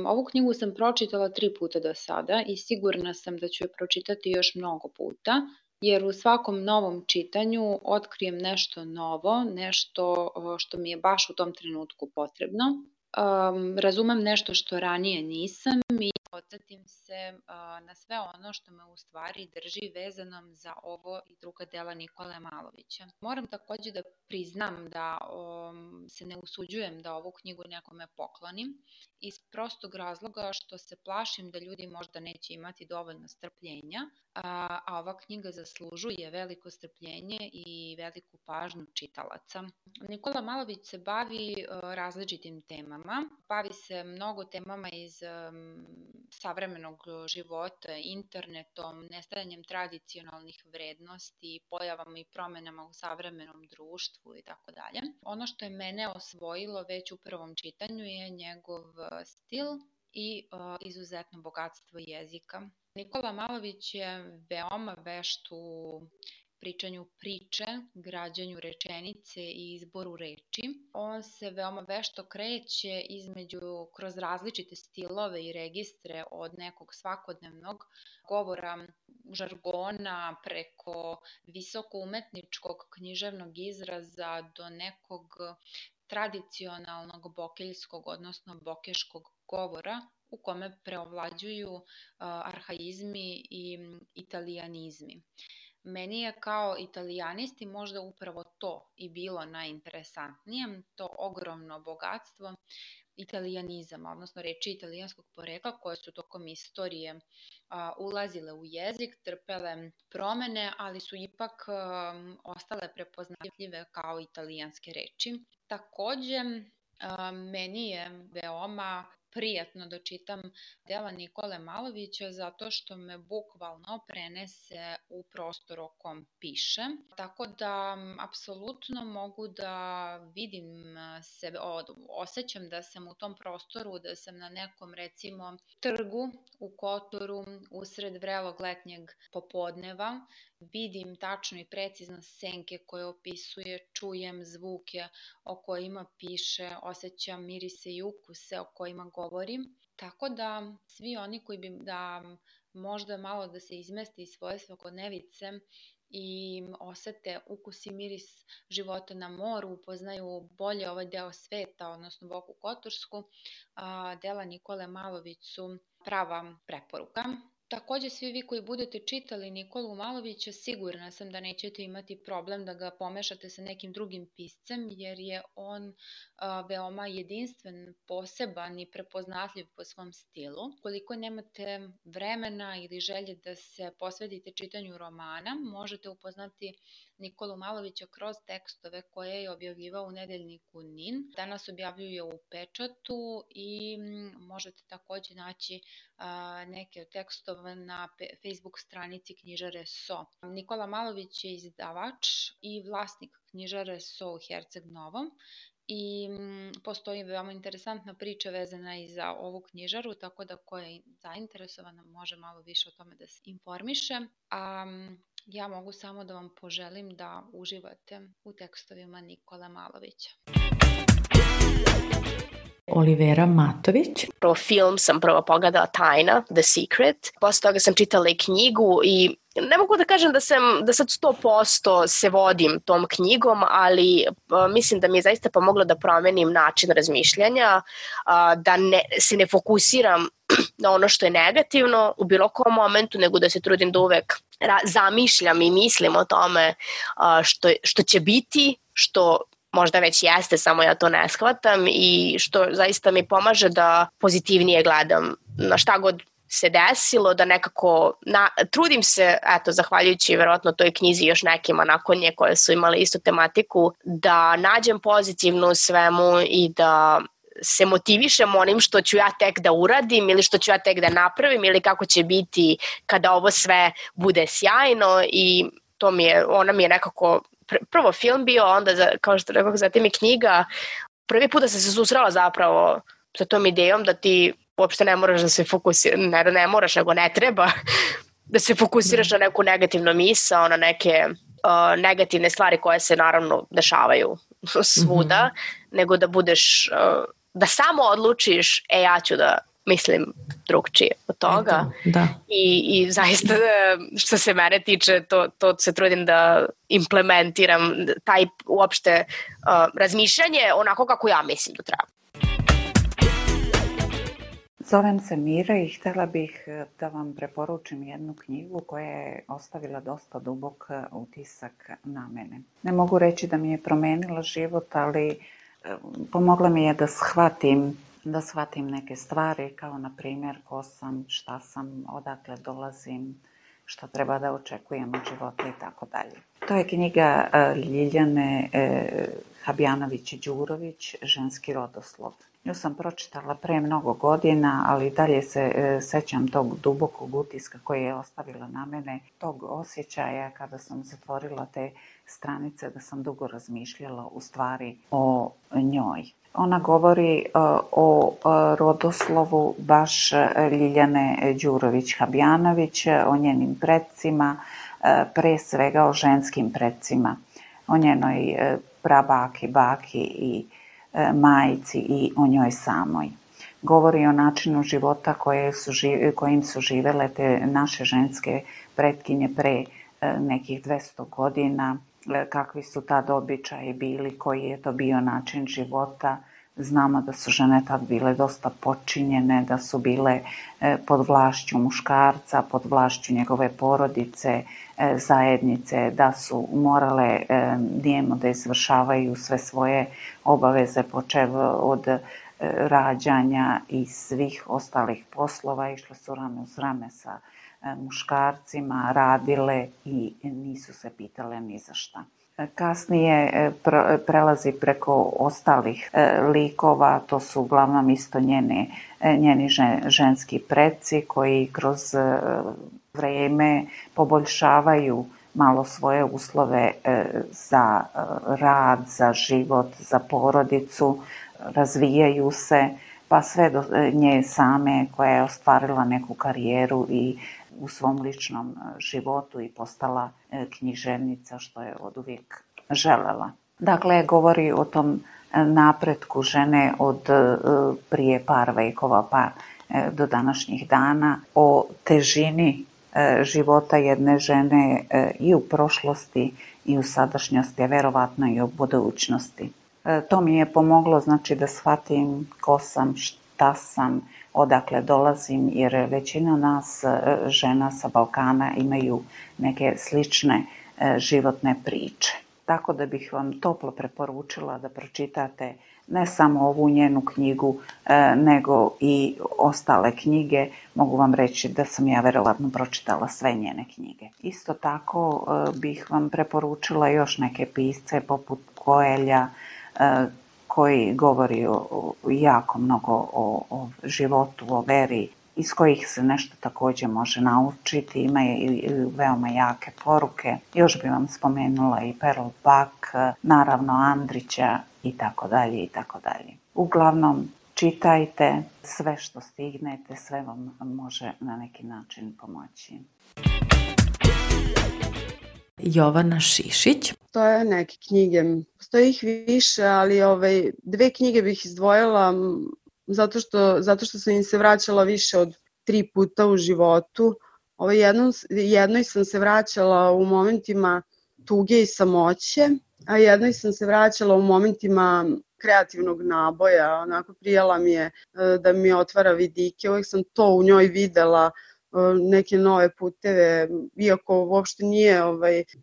Ovu knjigu sam pročitala 3 puta do sada i sigurna sam da ću je pročitati još mnogo puta, jer u svakom novom čitanju otkrijem nešto novo, nešto što mi je baš u tom trenutku potrebno. Razumem nešto što ranije nisam i podsjetim se na sve ono što me u stvari drži vezanom za ovo i druga dela Nikole Malovića. Moram također da priznam da se ne usuđujem da ovu knjigu nekome poklonim iz prostog razloga što se plašim da ljudi možda neće imati dovoljno strpljenja, a ova knjiga zaslužuje veliko strpljenje i veliku pažnju čitalaca. Nikola Malović se bavi različitim temama, bavi se mnogo temama iz savremenog života, internetom, nestajanjem tradicionalnih vrednosti, pojavama i promenama u savremenom društvu i tako dalje. Ono što je mene osvojilo već u prvom čitanju je njegov stil i izuzetno bogatstvo jezika. Nikola Malović je veoma vešt u pričanju priče, građanju rečenice i izboru reči. On se veoma vešto kreće kroz različite stilove i registre od nekog svakodnevnog govora, žargona, preko visoko umetničkog književnog izraza do nekog tradicionalnog bokeljskog, odnosno bokeškog govora u kome preovlađuju arhaizmi i italijanizmi. Meni je kao italijanisti možda upravo to i bilo najinteresantnije, to ogromno bogatstvo italijanizama, odnosno reči italijanskog porekla koje su tokom istorije ulazile u jezik, trpele promene, ali su ipak ostale prepoznatljive kao italijanske reči. Takođe, meni je veoma prijatno da čitam dela Nikole Malovića zato što me bukvalno prenese u prostor o kom piše. Tako da apsolutno mogu da vidim sebe, osjećam da sam u tom prostoru, da sam na nekom recimo trgu u Kotoru usred vrelog letnjeg popodneva, vidim tačno i precizno senke koje opisuje, čujem zvuke o kojima piše, osjećam mirise i ukuse o kojima govorim. Tako da svi oni koji bi da možda malo da se izmesti iz svoje svakodnevice i osete ukus i miris života na moru, upoznaju bolje ovaj deo sveta, odnosno Boku Kotorsku, dela Nikole Malović su prava preporuka. Takođe, svi vi koji budete čitali Nikolu Malovića, sigurna sam da nećete imati problem da ga pomešate sa nekim drugim piscem, jer je on veoma jedinstven, poseban i prepoznatljiv po svom stilu. Koliko nemate vremena ili želje da se posvetite čitanju romana, možete upoznati Nikolu Malovića kroz tekstove koje je objavljivao u nedeljniku NIN. Danas objavljuje u pečatu i možete takođe naći neke od tekstova na Facebook stranici knjižare So. Nikola Malović je izdavač i vlasnik knjižare So u Herceg Novom i postoji veoma interesantna priča vezana i za ovu knjižaru, tako da ko je zainteresovan može malo više o tome da se informiše. Ja mogu samo da vam poželim da uživate u tekstovima Nikole Malovića. Olivera Matović. Film sam prvo pogledala Tajna, The Secret. Posle toga sam čitala i knjigu i ne mogu da kažem da sad 100% se vodim tom knjigom, ali mislim da mi je zaista pomoglo da promenim način razmišljanja, da se ne fokusiram na ono što je negativno u bilo kom momentu, nego da se trudim da uvek zamišljam i mislim o tome što će biti, što možda već jeste, samo ja to ne shvatam i što zaista mi pomaže da pozitivnije gledam na šta god se desilo, da nekako trudim se, eto, zahvaljujući verovatno toj knjizi još nekima nakon nje koje su imali istu tematiku, da nađem pozitivno u svemu i da se motivišem onim što ću ja tek da uradim ili što ću ja tek da napravim ili kako će biti kada ovo sve bude sjajno i ona mi je nekako prvo film bio, onda kao što rekao, zatim i knjiga. Prvi put da sam se susrela zapravo sa tom idejom da ti uopšte ne moraš da se fokusiraš, ne moraš, nego ne treba da se fokusiraš na neku negativnu misao, na neke negativne stvari koje se naravno dešavaju svuda, nego da budeš, da samo odlučiš, ja ću da mislim drugčije od toga. Da. I zaista što se mene tiče, to se trudim da implementiram, taj uopšte razmišljanje onako kako ja mislim da treba. Zovem se Mira i htjela bih da vam preporučim jednu knjigu koja je ostavila dosta dubok utisak na mene. Ne mogu reći da mi je promenila život, ali pomogla mi je da shvatim neke stvari, kao na primjer ko sam, šta sam, odakle dolazim, šta treba da očekujem od života i tako dalje. To je knjiga Ljiljane Habjanović-Đurović, Ženski rodoslov. Nju sam pročitala pre mnogo godina, ali dalje se sećam tog dubokog utiska koji je ostavila na mene, tog osjećaja kada sam zatvorila te stranice, da sam dugo razmišljala u stvari o njoj. Ona govori o rodoslovu baš Ljiljane Đurović-Habjanović, o njenim predsima, pre svega o ženskim predsima, o njenoj prabaki, baki i majci i o njoj samoj. Govori o načinu života kojim su živele te naše ženske pretkinje pre nekih 200 godina, kakvi su tad običaji bili, koji je to bio način života. Znamo da su žene tad bile dosta potčinjene, da su bile pod vlašću muškarca, pod vlašću njegove porodice, zajednice, da su morale nijemo da izvršavaju sve svoje obaveze, počev od rađanja i svih ostalih poslova, išle su rame uz rame sa muškarcima, radile i nisu se pitale ni za šta. Kasnije prelazi preko ostalih likova, to su uglavnom isto njeni ženski preci koji kroz vrijeme poboljšavaju malo svoje uslove za rad, za život, za porodicu, razvijaju se, pa sve do nje same koja je ostvarila neku karijeru i u svom ličnom životu i postala književnica, što je oduvijek želela. Dakle, govori o tom napretku žene od prije par vekova pa do današnjih dana, o težini života jedne žene i u prošlosti i u sadašnjosti, a verovatno i u budućnosti. To mi je pomoglo, znači, da shvatim ko sam, šta sam, odakle dolazim, jer većina nas žena sa Balkana imaju neke slične životne priče. Tako da bih vam toplo preporučila da pročitate ne samo ovu njenu knjigu, nego i ostale knjige. Mogu vam reći da sam ja verovatno pročitala sve njene knjige. Isto tako bih vam preporučila još neke pisce poput Koelja, koji govori jako mnogo o životu, o veri, iz kojih se nešto također može naučiti, ima i veoma jake poruke. Još bi vam spomenula i Pearl Buck, naravno Andrića i tako dalje i tako dalje. Uglavnom, čitajte sve što stignete, sve vam može na neki način pomoći. Jovana Šišić. To je neke knjige, postoji ih više, ali dve knjige bih izdvojila zato što sam im se vraćala više od 3 puta u životu. Jednoj sam se vraćala u momentima tuge i samoće, a jednoj sam se vraćala u momentima kreativnog naboja. Onako prijala mi je da mi otvara vidike, uvijek sam to u njoj videla, neke nove puteve, iako uopšte nije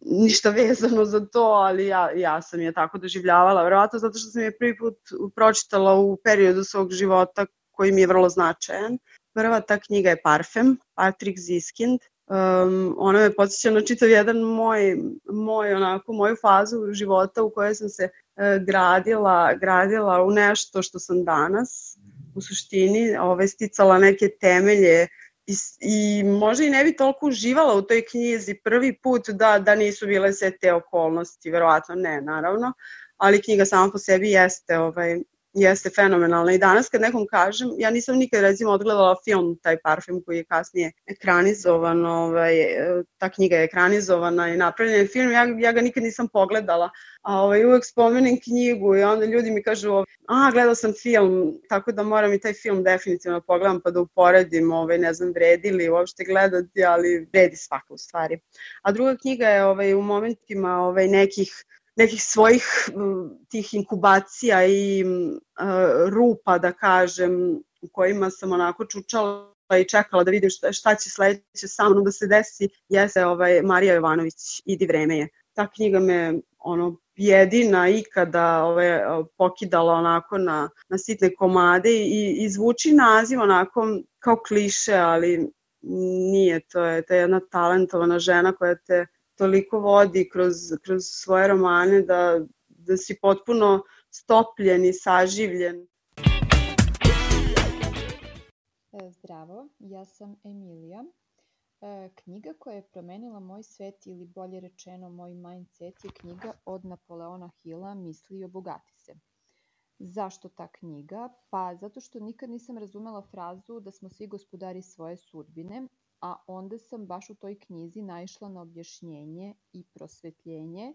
ništa vezano za to, ali ja sam je tako doživljavala, verovatno zato što sam je prvi put pročitala u periodu svog života koji mi je vrlo značajan. Prva ta knjiga je Parfem, Patrick Zieskind. Ona me podsjeća na čitav jedan moju fazu života u kojoj sam se gradila u nešto što sam danas, u suštini, sticala neke temelje i možda i ne bi toliko uživala u toj knjizi prvi put da nisu bile sve te okolnosti, verovatno ne, naravno, ali knjiga sama po sebi jeste fenomenalna i danas kad nekom kažem, ja nisam nikad recimo odgledala film taj Parfem koji je kasnije ekranizovan, ta knjiga je ekranizovana i napravljen je film, ja ga nikad nisam pogledala, a uvek spomenem knjigu i onda ljudi mi kažu gledao sam film, tako da moram i taj film definitivno pogledam pa da uporedim, ne znam vredi li uopšte gledati, ali vredi svaka u stvari. A druga knjiga je u momentima nekih svojih tih inkubacija i rupa, da kažem, u kojima sam onako čučala i čekala da vidim šta će sledeće sa mnom da se desi, jeste Marija Jovanović, Idi vreme je. Ta knjiga me jedina ikada pokidala onako na sitne komade i zvuči naziv onako kao kliše, ali nije, to je jedna talentovana žena koja te toliko vodi kroz svoje romane da si potpuno stopljen i saživljen. Zdravo, ja sam Emilija. Knjiga koja je promenila moj svet ili bolje rečeno moj mindset je knjiga od Napoleona Hilla Misli i obogati se. Zašto ta knjiga? Pa zato što nikad nisam razumela frazu da smo svi gospodari svoje sudbine, a onda sam baš u toj knjizi naišla na objašnjenje i prosvetljenje,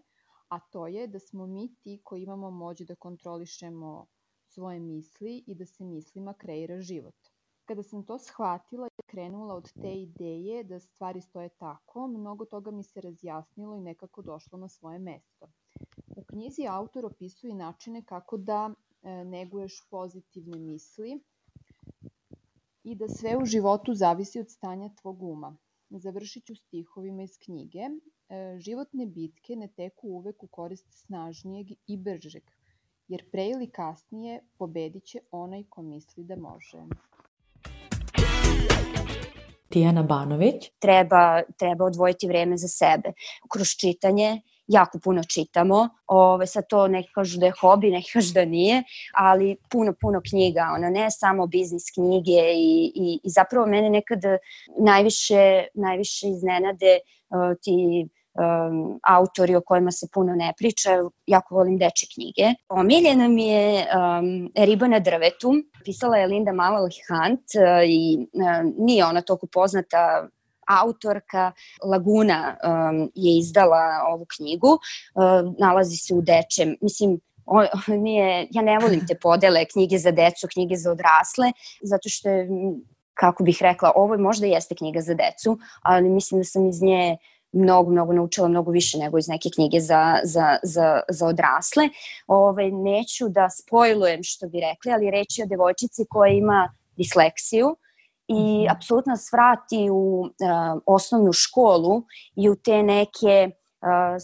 a to je da smo mi ti koji imamo moć da kontrolišemo svoje misli i da se mislima kreira život. Kada sam to shvatila i krenula od te ideje da stvari stoje tako, mnogo toga mi se razjasnilo i nekako došlo na svoje mesto. U knjizi autor opisuje načine kako da neguješ pozitivne misli i da sve u životu zavisi od stanja tvog uma. Završit ću stihovima iz knjige. Životne bitke ne teku uvek u korist snažnijeg i bržeg, jer pre ili kasnije pobedit će onaj ko misli da može. Tijana Banović. Treba odvojiti vreme za sebe. Kroz čitanje jako puno čitamo. Sad to neki kažu da je hobi, neki kažu da nije, ali puno knjiga. Ne samo biznis knjige i zapravo mene nekad najviše iznenade ti autori o kojima se puno ne priča. Jako volim dečje knjige. Omiljena mi je Riba na drvetu. Pisala je Linda Malloy Hunt i nije ona toliko poznata autorka. Laguna je izdala ovu knjigu. Nalazi se u dečjem. Mislim, ja ne volim te podele knjige za decu, knjige za odrasle, zato što je, kako bih rekla, ovo možda jeste knjiga za decu, ali mislim da sam iz nje mnogo naučila, mnogo više nego iz neke knjige za odrasle. Neću da spojlujem što bi rekli, ali reč je o devojčici koja ima disleksiju i apsolutno nas vrati u osnovnu školu i u te neke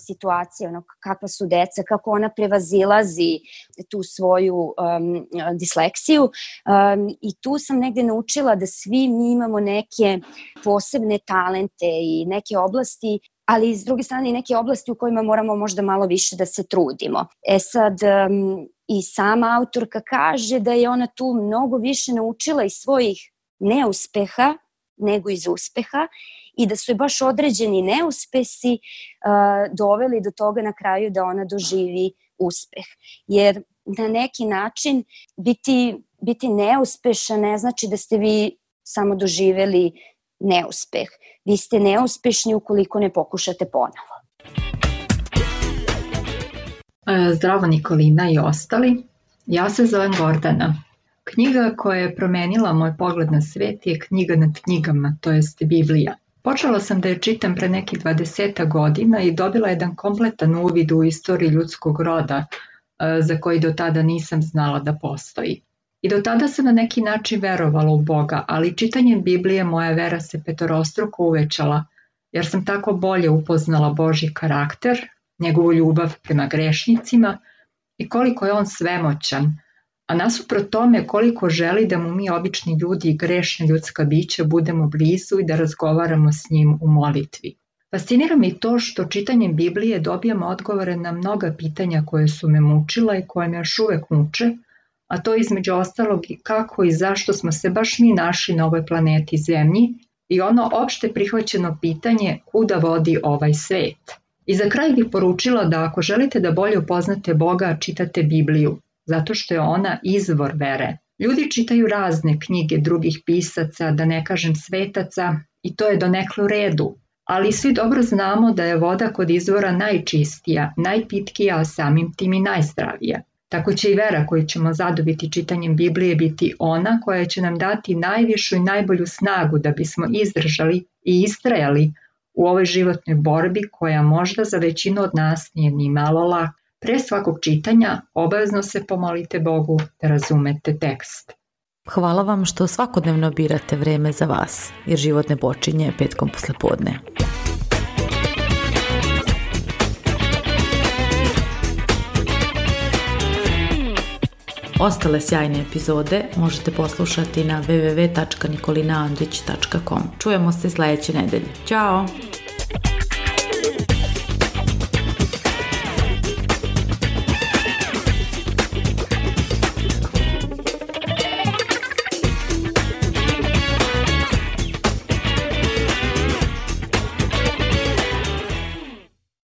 situacije, kakva su deca, kako ona prevazilazi tu svoju disleksiju i tu sam negde naučila da svi mi imamo neke posebne talente i neke oblasti, ali s druge strane i neke oblasti u kojima moramo možda malo više da se trudimo. Sad i sama autorka kaže da je ona tu mnogo više naučila iz svojih neuspeha nego iz uspeha i da su je baš određeni neuspesi doveli do toga na kraju da ona doživi uspeh. Jer na neki način biti neuspešan ne znači da ste vi samo doživeli neuspeh. Vi ste neuspešni ukoliko ne pokušate ponovo. Zdravo Nikolina i ostali. Ja se zovem Gordana. Knjiga koja je promenila moj pogled na svet je knjiga nad knjigama, to jest Biblija. Počela sam da je čitam pre nekih 20 godina i dobila jedan kompletan uvid u istoriju ljudskog roda za koji do tada nisam znala da postoji. I do tada sam na neki način verovala u Boga, ali čitanjem Biblije moja vera se petorostruko uvećala, jer sam tako bolje upoznala Božji karakter, njegovu ljubav prema grešnicima i koliko je on svemoćan, a nasuprot tome koliko želi da mu mi obični ljudi i grešna ljudska bića budemo blizu i da razgovaramo s njim u molitvi. Fascinira me i to što čitanjem Biblije dobijam odgovore na mnoga pitanja koje su me mučila i koje me još uvek muče, a to između ostalog i kako i zašto smo se baš mi našli na ovoj planeti Zemlji i ono opšte prihvaćeno pitanje kuda vodi ovaj svet. I za kraj bih poručila da ako želite da bolje upoznate Boga, čitate Bibliju, zato što je ona izvor vere. Ljudi čitaju razne knjige drugih pisaca, da ne kažem svetaca, i to je donekle u redu, ali svi dobro znamo da je voda kod izvora najčistija, najpitkija, a samim tim i najzdravija. Tako će i vera koju ćemo zadobiti čitanjem Biblije biti ona koja će nam dati najvišu i najbolju snagu da bismo izdržali i istrajali u ovoj životnoj borbi koja možda za većinu od nas nije ni malo laka. Pre svakog čitanja obavezno se pomolite Bogu da razumete tekst. Hvala vam što svakodnevno birate vreme za vas, jer život ne počinje petkom poslepodne. Ostale sjajne epizode možete poslušati na www.nikolinaandrić.com. Čujemo se sledeće nedelje. Ćao!